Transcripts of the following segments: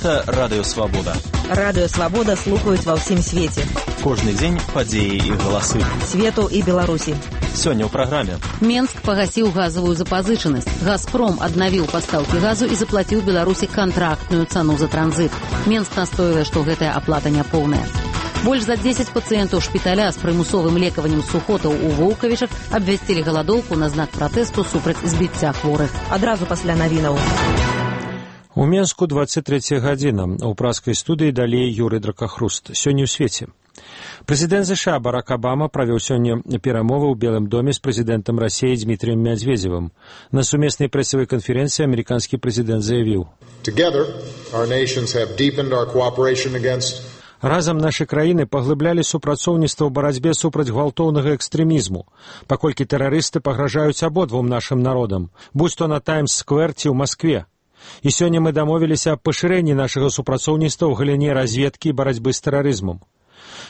Гэта Радыё Свабода. Радыё Свабода слухаюць ва ўсім свеце. Кожны дзень падзеі і галасы. Свету і Беларусі. Сёння ў праграме. Менск пагасіў газавую запазычанасць. «Газпром» аднавіў пастаўкі газу і заплаціў Беларусі кантрактную цану за транзит. Менск настойлае, што гэтая аплата няпоўная. Больш за 10 пацыентаў шпіталя з прымусовым лекаваннем сухотаў у Воўкавічах абвясцілі галадоўку на знак пратэсту супраць збіцця хворых. Адразу пасля навінаў. У Менску 23 гадзіна. У праскай студыі далей Юрый Дракахруст. Сёння ў свеце. Прэзідэнт США Барак Абама правёў сёння перамовы ў Белым доме з прэзідэнтам Расіі Дмітрием Медведзевым. На сумеснай прэсавай канферэнцыі амерыканскі прэзідэнт заявіў: разам нашы краіны паглыблялі супрацоўніцтва ў барацьбе супраць гвалтоўнага экстрэмізму, паколькі тэрарысты пагражаюць абодвум нашым народам, будь то на Таймс-сквер ці ў Маскве. І сёння мы дамовіліся аб пашырэнні нашага супрацоўніцтва ў галіне разведкі і барацьбы з тэрарызмам.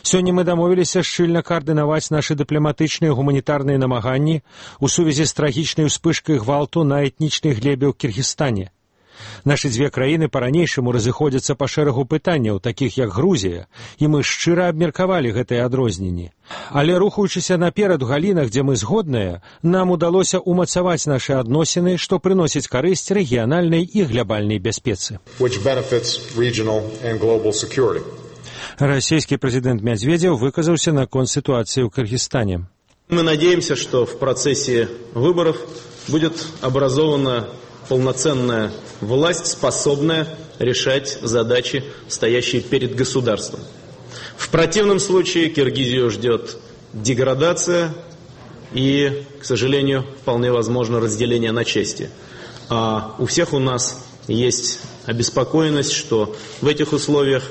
Сёння мы дамовіліся шчыльна каардынаваць нашы дыпламатычныя і гуманітарныя намаганні ў сувязі з трагічнай успышкай гвалту на этнічнай глебе ў Кіргізстане. Нашы дзве краіны па-ранейшаму разыходзяцца па шэрагу пытанняў, такіх як Грузія, і мы шчыра абмеркавалі гэтыя адрозненні. Але рухаючыся наперад у галінах, дзе мы згодныя, нам удалося ўмацаваць нашы адносіны, што прыносіць карысць рэгіянальнай і глябальнай бяспецы. Расійскі прэзідэнт Медведзев выказаўся наконт ситуации в Кыргызстане. Мы надеемся, что в процессе выборов будет образована полноценная власть, способная решать задачи, стоящие перед государством. В противном случае Киргизию ждет деградация и, к сожалению, вполне возможно разделение на части. А у всех у нас есть обеспокоенность, что в этих условиях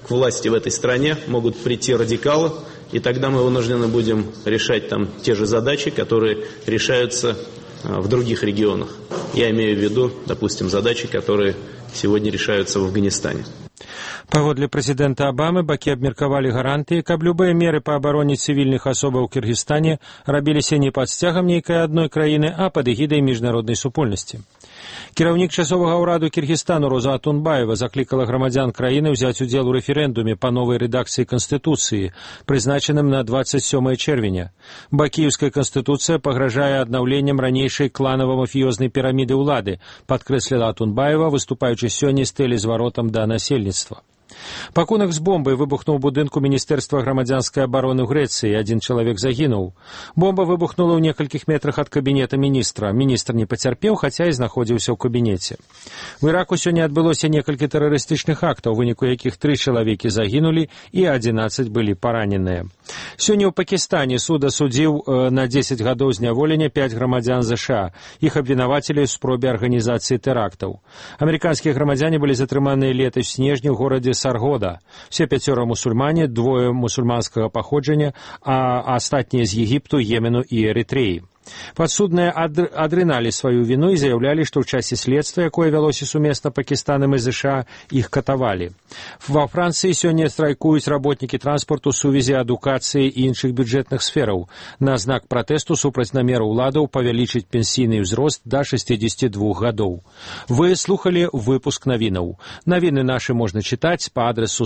к власти в этой стране могут прийти радикалы, и тогда мы вынуждены будем решать там те же задачи, которые решаются в других регионах. Я имею в виду, допустим, задачи, которые сегодня решаются в Афганистане. Паводле прэзідэнта Абамы бакі абмеркавалі гарантыі, каб любыя меры па абароне цывільных асобаў у Кіргізстане рабіліся не пад сцягам нейкай адной краіны, а пад эгідай міжнароднай супольнасці. Кіраўнік часовага ўраду Кіргізстану Роза Атунбаева заклікала грамадзян краіны ўзяць удзел у рэферэндуме па новай рэдакцыі Канстытуцыі, прызначаным на 27 чэрвеня. Бакіеўская Канстытуцыя пагражае аднаўленнем ранейшай кланава-мафіёзнай піраміды ўлады, падкрэсліла Атунбаева, выступаючы сёння з тэлезваротам да насельніцтва. Пакунак з бомбай выбухнуў у будынку Міністэрства грамадзянскай абароны ў Грэцыі, адзін чалавек загінуў. Бомба выбухнула ў некалькіх метрах ад кабінета міністра. Міністр не пацярпеў, хаця і знаходзіўся ў кабінеце. У Іраку сёння адбылося некалькі тэрарыстычных актаў, у выніку якіх 3 чалавекі загінулі і 11 былі параненыя. Сёння ў Пакістане суд асудзіў на 10 гадоў зняволення 5 грамадзян США. Іх абвінавацілі ў спробе арганізацыі тэрактаў. Амерыканскія грамадзяне былі затрыманыя летась у снежні ў горадзе Саргода. Все 5 мусульмане, 2 мусульманскага паходжання, а астатнія з Егіпту, Йемену і Эрытрэі. Падсудныя адрыналі сваю віну і заявлялі, што ў часе следства, якое вялося сумесна Пакістанам і ЗША, іх катавалі. Ва Францыі сёння страйкуюць работнікі транспарту ў сувязі адукацыі і іншых бюджэтных сфераў. На знак пратэсту супраць намеру ўладаў павялічыць пенсійны ўзрост да 62 гадоў. Вы слухалі выпуск навінаў. Навіны нашы можна чытаць па адресу